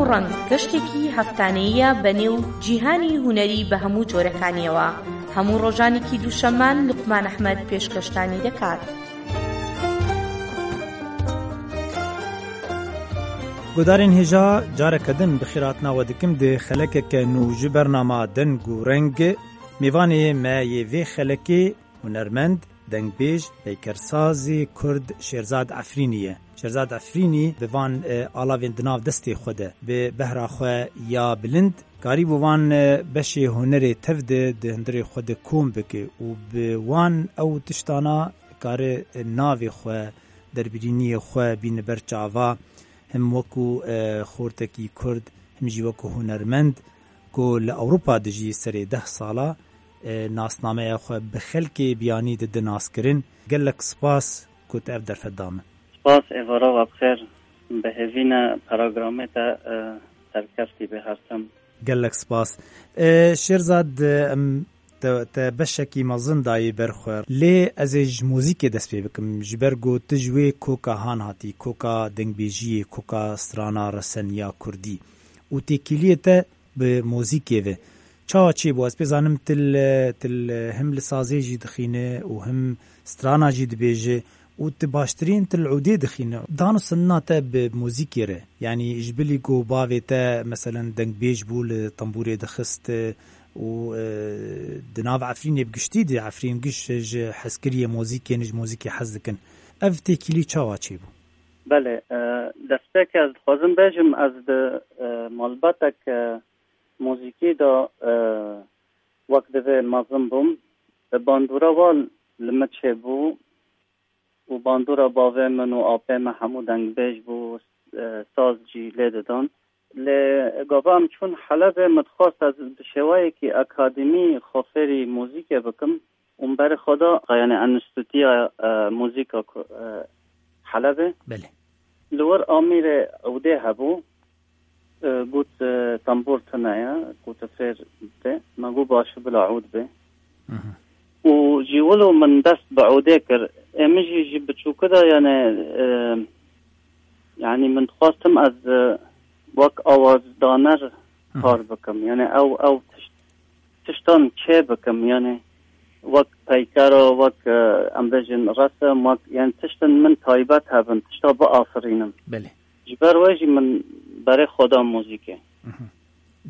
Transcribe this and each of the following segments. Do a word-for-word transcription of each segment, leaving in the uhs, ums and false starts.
ڕەنگ، گەشتێکی هەفتانەییە بە نێو جیهانی هونەری بە هەموو جۆرەکانیەوە. هەموو ڕۆژانێکی دووشەممان لوقمان ئەحمەد پێشکەشتانی دەکات. Gudarên hêja, careke din bi xêr hatina we dikim di xelekeke nû ji bernama Deng û Reng. Mêvanê me yê vê xelekê hunermend, dengbêj, peykersazê kurd Şêrzad Efrînî ye. Şêrzad Efrînî bi van, e, alavên di nav destê xwe de, bi behra xwe ya bilind, karîbû van, e, beşê hunerê tev de di hundirê xwe de kom bike û bi wan ew tiştana kare, e, navê xwe, derbirîniyê xwe bîne ber çava, him wekû, e, xortekî kurd, him jî wekû hunermend ku li Ewropa dijî serê deh sala, e, nasnameya xwe bi xelkê biyanî dide naskirin. Gelek spas ku tu ev derfet da min. Spas, êvara we bi xêr. Bi hêvî ne programê te, e, serkeftî be her tim. Gelek spas. E, Şêrzad, e, em te, te beşekî mezin dayî ber xwe. Lê ez ê ji muzîkê dest pê bikim. Ji ber ku tu ji wê koka han hatî, koka dengbêjiyê, koka strana resen ya kurdî. Û têkiliyê te bi muzîkê ve. Çawa çêbû? Ez pê zanim til, til him li sazê jî dixîne û him strana jî dibêje û tu baştirîn til udê dixîne. Dan û sindina te bi muzîkê re. Yanî ji bilî ku bavê te, meselen, dengbêj bû, li tembûrê dixist û, e, di nav Efrînê bi giştî de, Efrîn giş ji hezkiriyê muzîkê ne, ji muzîkê hez dikin. Ev têkilî çawa çêbû? Belê, e, destpêkê ez dixwazim bêjim, ez di, e, malbatek, e, muzîkî de, e, wek divê mezin bûm. Bandora wan li min çêbû û bandora bavê min û apê me hemû dengbêj bû, e, saz jî lê didan. Lê gava em çûn Helebê, min dixwest ez bi şêweyekî akademî xwe fêrî muzîkê bikim. Û min berê xwe da, yanî enstîtuya, e, muzîka ku, e, Helebê. Belê. Li wir amîrê ûdê hebû, e, got, e, tembûr tune ye, ku tu fêr bê. Me got, baş e, bila ûd bê. Mhm. Û jî wilo min dest bi ûdê kir. Ê min jî ji biçûkî de, yanî, e, yanî min dixwestim ez, e, wek awazdaner Mhm. kar bikim. Yanî ew, ew tişt tiştan çê bikim, yanî wek peykero, wek, e, em bêjin resim, wek, yanî tiştin min taybet hebin, tişta biafirînim. Belê. Ji ber wê jî min berê xwe da muzîkê. Mhm.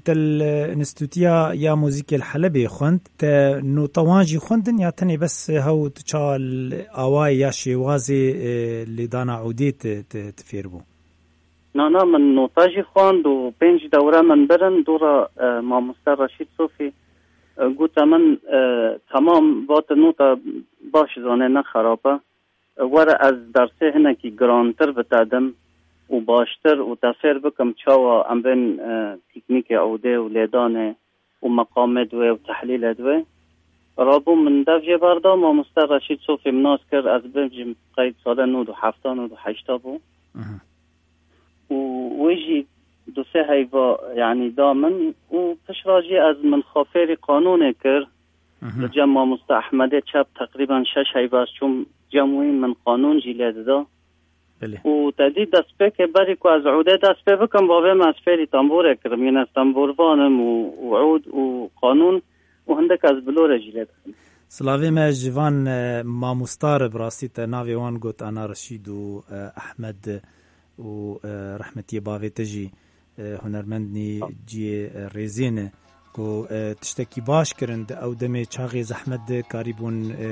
Te li Enstîtuya ya Muzîkê li Helebê xwend, te nota wan jî xwendin ya tenê bes hew tu ça li awayê ya şêwazê, e, lêdana ûdê tu, tu, tu fêr bû? Na, na, min nota jî xwend û pênc dewre min birin, dora, e, mamoste Reşîd Sofî, e, gote min, e, temam, va tu nota baş zanê, ne xerab e. E, were ez dersê hinekî girantir bi te dim û baştir û te fêr bikim çawa em bên, e, teknîkê ûdê û lêdanê û meqamê di wê û tehlîlê di wê. Rabû min dev jê berda, mamoste Reşîd Sofî min nas kir, ez bêjim qey sala nod û hefta, nod û heşta bû. Mhm. Û wê jî du sê heyva, yanî da min û pişra jî ez min xwe fêrî qanûnê kir. Mhm. Li cem mamoste Ehmedê Çep teqrîben şeş heyva ez çûm cem wî, min qanûn jî lê dida. Belê. Û te dî destpêkê berî ku ez ûdê dest pê bikim, bavê me ez fêrî tembûrê kirim. Yine ez tembûrvan im û, û ûd û qanûn û hindik ez bilorê jî lê dikim. Silavê me ji van, e, mamosta re, bi rastî te navê wan got, Ana Reşîd û, e, Ehmed û, e, rehmetiyê bavê te jî, e, hunermendnî ciyê, e, rêzê ne. Ku, e, tiştekî baş kirin di ew demê çaxê zehmet de karîbûn, e,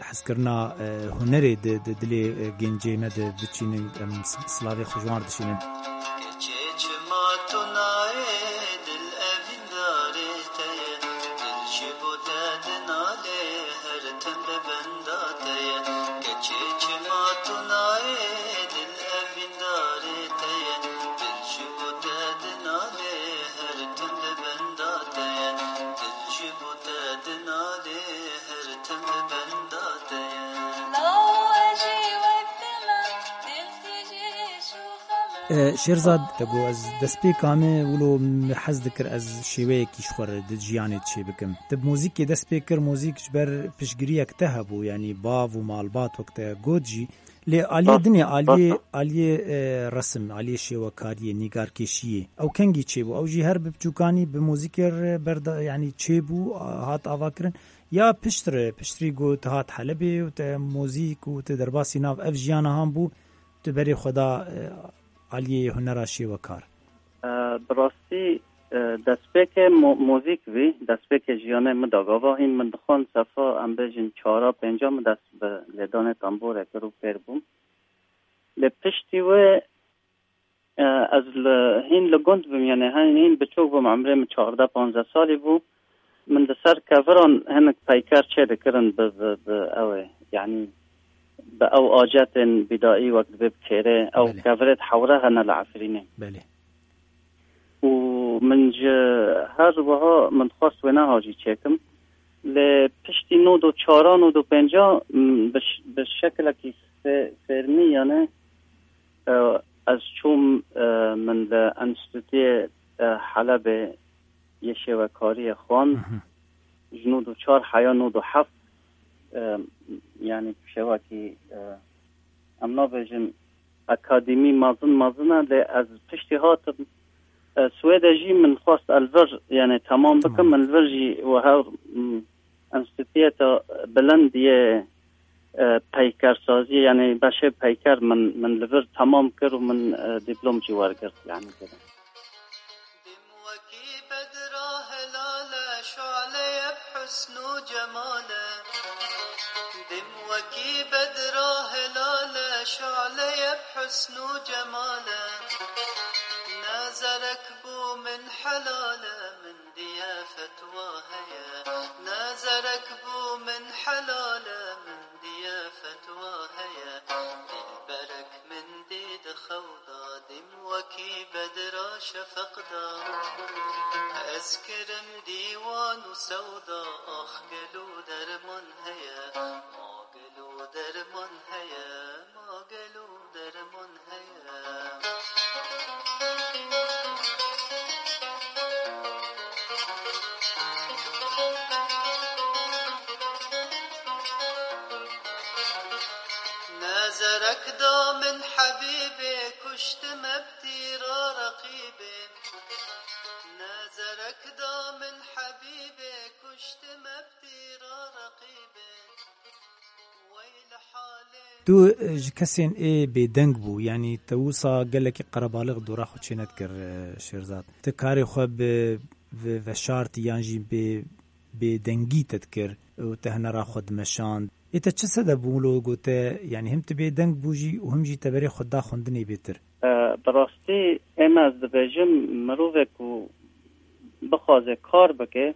hezkirina, e, hunerê di, di dilê, e, gencê me de biçînin, em s-, silavê xwe ji wan re dişînin. Keçê çima tu nayê dil evîndarê te ye, dil ji bo te dinalê her tim li benda te ye. Keçê çima tu nayê dil evîndarê te ye, dil ji bo te dinalê her tim li benda te ye, dil ji bo te dinalê her tim li benda te ye. Law e jî wek dima, dil tîjî şûxa me. E, Şêrzad, te got, ez destpêka me wilo min hez dikir ez şêweyekî ji xwe re di jiyanê çê bikim. Te bi muzîkê dest pê kir, muzîk ji ber piştgiriyek te hebû, yanî bav û malbat wek te got jî. Lê aliyê Rast, dinê, aliyê, rast. aliyê, e, resim, aliyê şêwekariyê, nîgarkêşiyê, ew kengî çêbû? Ew jî her bi biçûkanî bi muzîkê re berda, yanî çêbû, a, hat avakirin. Ya piştre, piştrî ku tu hat Helebê û te muzîk û te derbasî nav ev jiyana han bû, tu berê xwe da, e, aliyê hunera şêwekar? E, bi rastî, e, destpêkê mu-, muzîk bî, destpêkê jiyanê min da gava hîn min dixwend sefa, em bêjin çara pênca min dest bi lêdanê tembûrê kir û fêr bûm. Lê piştî wê, e, ez li, hîn li gund bûm, yanî hîn, hîn biçûk bûm, emrê min çardeh panzdeh salî bû. Min li ser keviran hinek peyker çê dikirin bi, bi, bi ew ê, yanî bi ew acetên bîdayî wek dibê bi kêrê, ew Belê. kevirê di hewre hene li Efrînê. Belê. Û min ji her wiha min dixwest wêneha jî çêkim. Lê piştî nod û çaran û du pênca, m, bi ş-, bi şekilekî fê-, fêrmî, yanî, e, ez çûm, e, min li Enstîtuyê, e, Helebê yê şêwekariyê xwend. Mhm. Ji nod û çar heya nod û heft, e, yanî şêwekî, e, em nabêjin akademî mezin mezin e, lê ez piştî hatim, e, Swêdê jî min xwest ez li vir, yanî temam bikim, Tamam. min li vir jî wiha, m, enstîtuyê bilind yê, e, peykersaziyê, yanî beşê peyker min, min li vir temam kir û min, e, dîplom jî wergirt, yanî. Dim wekî bedra helal e, şu'leye bi husn û cemal e. Dim wekî bedra helal e, şu'leye bi husn û cemal e. Ne zerek bû min helal e, min diye fetwa heye. Ne zerek bû min helal e, min diye fetwa heye. Dilberek min dî di xew da, dim wekî bedra şefeq da. Ez kirim dîwan û sewda, ax gelo derman heye, ma gelo derman heye, ma gelo derman heye. Ne zerek da min hebîbê, kuştime bi tîra reqîbê. Ne zerek da min hebîbê, kuştime bi tîra reqîbê. Wey li halê. Tu, e, ji kesên ê bêdeng bû, yanî te wisa gelekî qerebalix dora xwe çênedikir, e, Şêrzad. Te karê xwe bi, bi veşartî yan jî bi bêdengî te dikir û te hunera xwe dimeşand. Ê te çi sebeb bû wilo ku te, yanî him tu bêdeng bû jî û him jî te berê xwe da xwendinê bêtir? E, bi rastî ê me ez dibêjim, mirovek ku bixwaze kar bike,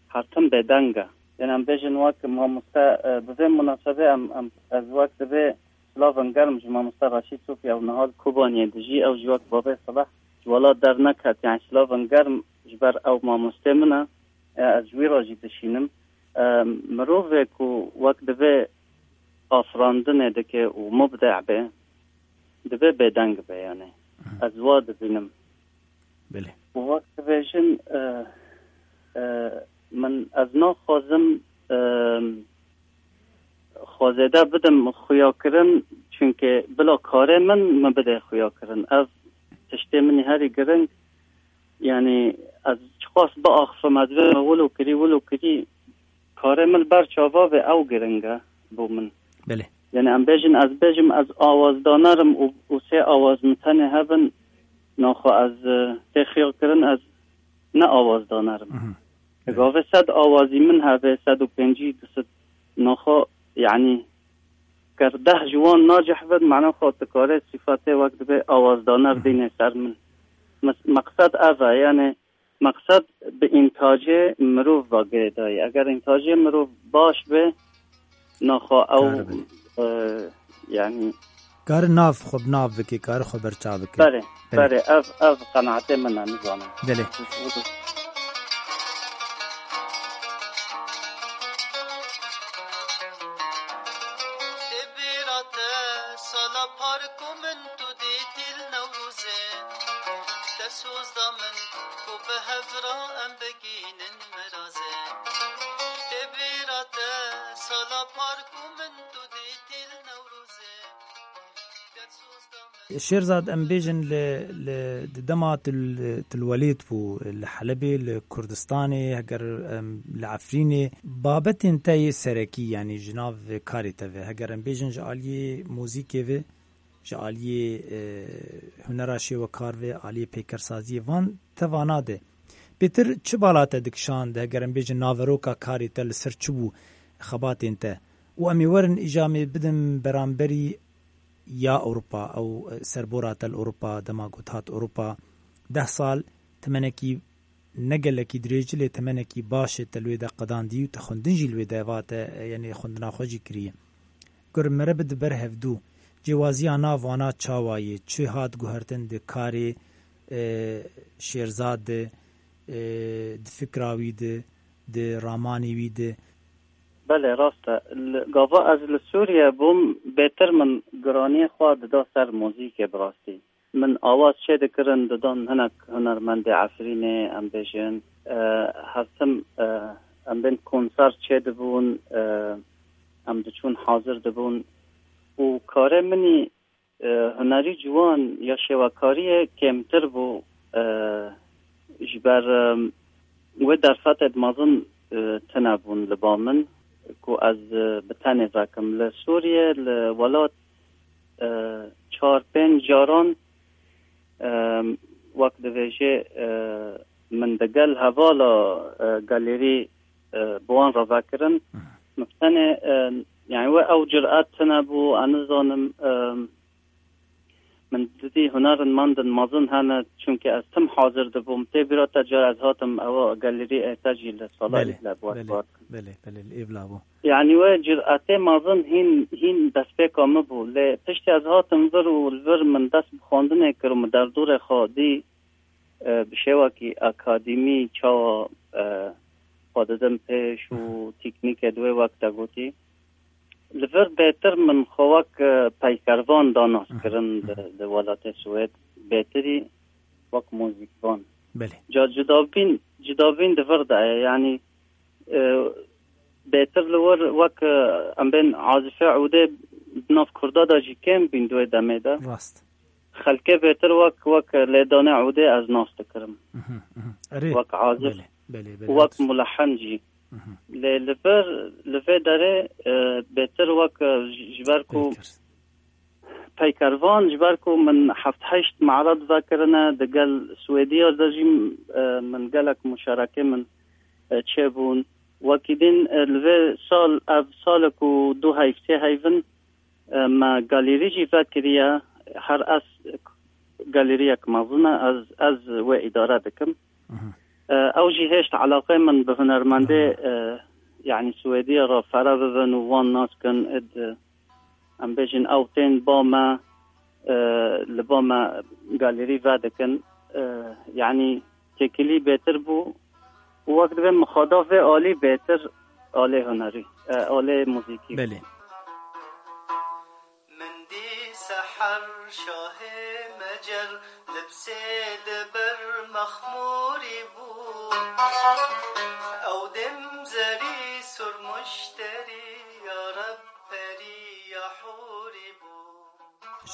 her tim bêdeng e. Yanî em bêjin wek mamoste, e, bi vê munasebê em, em, ez wek dibê silavên germ ji mamoste Reşîd Sofya û niha li Kobaniyê dijî, ew jî wek babê Silah ji welat derneket, yanî silavên germ ji ber ew mamostê min e. E, ez ji wî re jî dişînim. E, mirovê ku wek divê afirandinê dike û mubdeh be, divê bêdeng be, yanî. Mhm. Ez wa dibînim. Belê. Û wek dibêjin, e, e, min, ez naxwazim, e, xwezêde bidim xuyakirin, çunke bila karê min, min bide xuyakirin. Ev tiştê min ê herî giring, yanî ez çiqas biaxifim, ez bême wilo kirî, wilo kirî, karê min li ber çava be, ew giring e bo min. Belê. Yanî em bêjin, ez bêjim, ez awazdaner im û, û sê awaz min tenê hebin, naxwe ez, e, tê xuyakirin, ez ne awazdaner im. Mhm. Di gavê sed awazî min hebe, sed û pêncî, du sed, naxwe, yanî, ger deh ji wan nacih bin, mana xwe tu karê sîfatê wek dibê awazdaner dînê ser min. Mes-, meqsed ev e, yanî, meqsed bi întacê mirov ve girêdayî. Eger întacê mirov baş be, naxwe ew, Kar be. e, yanî Kar nav xwe bi nav bike, kar xwe berçav bike. Berê, Belê. berê, ev, ev qenaetê min e, nizanim. Belê. Tê bîra te sala par ku min tu dîtî li Newrozê. Soz da min ku bi hev re em bigihînin mirazê. Tê bîra te sala par ku min tu dîtî li Newrozê. Şêrzad, em bêjin li, li, di dema tu li, tu li welêt bû, li Helebê, li Kurdistanê, heger, em, li Efrînê, babetên te yê serekî, yanî ji nav karê te ve, heger em bêjin ji aliyê muzîkê ve, ji aliyê, e, hunera şêwekar ve, aliyê peykersaziyê, van te vana de. Pêtir çi bala te dikişand, heger em bêjin naveroka karê te li ser çi bû, xebatên te? Û em ê werin îca em ê bidin beramberî ya Ewropa, ew, e, serbora te li Ewropa, dema ku tu hat Ewropa, deh sal, temenekî ne gelekî dirêj, lê temenekî baş e te li wê de qedandî û te xwendin jî li wê de va te, e, yanî xwendina xwe jî kiriye. Gur mere bide ber hevdû, cêwaziya nav wana çawa ye, çi hat guhertin di karê, e, Şêrzad de, e, di fikra wî de, di ramanê wî de? Belê, rast e. Li, gava ez li Sûriye bûm, bêtir min giraniyê xwe dida ser muzîkê bi rastî. Min awaz çê dikirin, didan hinek hunermendê Efrînê, em bêjin, e, her tim, e, em bên konser çê dibûn, e, em diçûn hazir dibûn û karê min î, e, hunerî ciwan ya şêwekariyê kêmtir bû, e, ji ber, e, wê derfetê di mezin, e, tune bûn li ba min ku ez, e, bi tenê vekim. Li Sûriye, li welat, e, çar pênc caran, e, wek divêjê, e, min digel hevala, e, galerî, e, bi wan re vekirin. Min tenê, e, yani we ew cüret tune bû, ez nizanim, e, min didî hunermendên mezin hene, çunke ez tim hazir dibûm. Tê bîra te cara ez hatim ewa galerî ê te jî li sala Belê, îble bi wek belê, bar. Belê, belê, li Îbla bû. Yani we cüretê mezin hîn, hîn destpêka min bû. Lê piştî ez hatim vir û li vir min dest bi xwendinê kir û min derdorê xwe dî, e, bi şêwekî akademî çawa, e, xwe didim pêş û teknîkê di wê wek te gotî. Li vir bêtir min xwe wek, e, peykervan da nas kirin di, di welatê Swêd. Bêtirî wek muzîkvan. Belê. Ca cudabîn, cudabîn di vir de ye. Yanî, e, bêtir li wir wek, e, em bên azifê ûdê di nav kurda de jî kêm bîn di wê demê de. Rast. Xelkê bêtir wek, wek lêdanê ûdê ez nas dikirim. Mhm, mhm. Erê. Wek azif, Belê, belê, belê, wek rast. Mulehin jî. Mhm. Lê li vir, li vê derê, e, bêtir wek, e, ji, ji ber ku Peyker. Peykervan, ji ber ku min heft heşt me'red vekirine, digel Swêdiya de jî, e, min gelek muşarekê min, e, çêbûn. Wekî din, e, li vê sal, ev sal e ku du heyv tê heyvin, e, me galerî jî vekiriye, her ez galeriyek mezin e, ez, ez wê îdare dikim. Mhm. E, ew jî hêşt eleqê min bi hunermendê, Mhm. e, yani Swêdiya re fere bibin û wan nas kin, id, em bêjin ew tên ba me, e, li ba me galerî vedikin. E, yani têkilî bêtir bû û wek divê min xwe da vê alî bêtir alê hunerî, e, alê muzîkî. Belê. Min dî seher şahê mecel, libsê di ber mexmûrî bû. Ew dem zerî surmuşterî, ya Reb perî ya hûrî bû.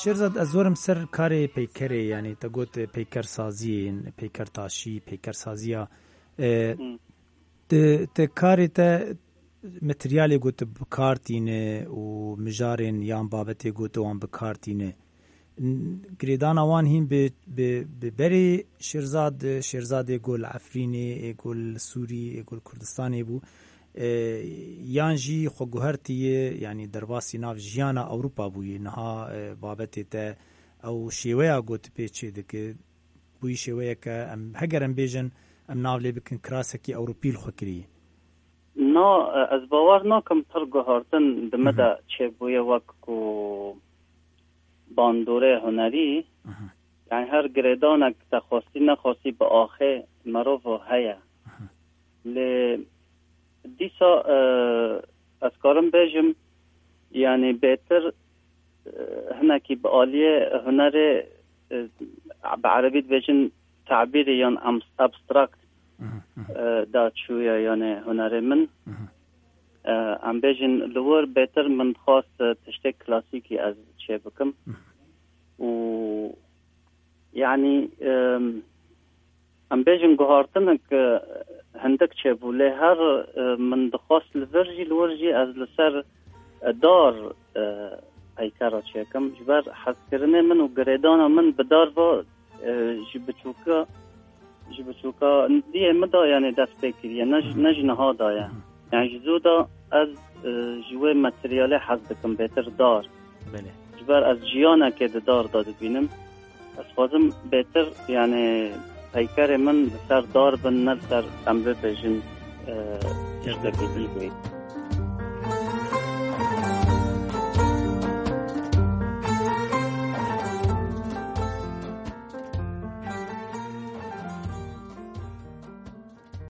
Şêrzad, ez werim ser karê peykerê, yanî te got peyker saziyên, peyker taşî, peyker saziya. E, Hmm. Te, te karê te materyalê got bi kar tîne û mijarên yan babetê got wan bi kar tîne. N-, girêdana wan hîn bi, bi, bi berê Şêrzad, Şêrzadê got li Efrînê, ê got li Sûrî, ê got li Kurdistanê bû. E, yan jî xwe guhertiye, yanî derbasî nav jiyana Ewropa bûye. Niha, e, babetê te ew şêweya got pê çê dike, bûyî şêweyeke em, heger em bêjin, em nav lê bikin kirasekî Ewropî li xwe kiriye. Na, ez bawer nakim pir guhartin di min de çêbûye wek ku bandorê hunerî. Mhm. Yani her girêdanek te xwestî nexwestî bi axê merov heye. Mhm. Lê dîsa, e, ez karim bêjim, yani bêtir, e, hinekî bi aliyê hunerê, e, bi erebî dibêjin tabîrê yan am- abstract e, da çûye, yani hunerê min. E, em bêjin li wir bêtir min dixwast, e, tiştê klasîkî ez çê bikim. Û yani, e, em bêjin guhartinek, e, hindik çêbû, lê her, e, min dixwast li vir jî, li wir jî ez li ser, e, dar, e, peykera çêkim. Ji ber hezkirinê min û girêdana min bi dar ve, e, ji biçûka, ji biçûka diyê min de, yani dest pê kiriye, ne ji, ne ji niha de ye. Yani ji zû de ez, e, ji wê materyalê hez dikim, bêtir dar. Belê. Ji ber ez jiyanekê di dar de dibînim. Ez xwazim bêtir, yani peykerê min li ser dar bin, ne li ser, em bibêjin, e, tiştekî dî bê.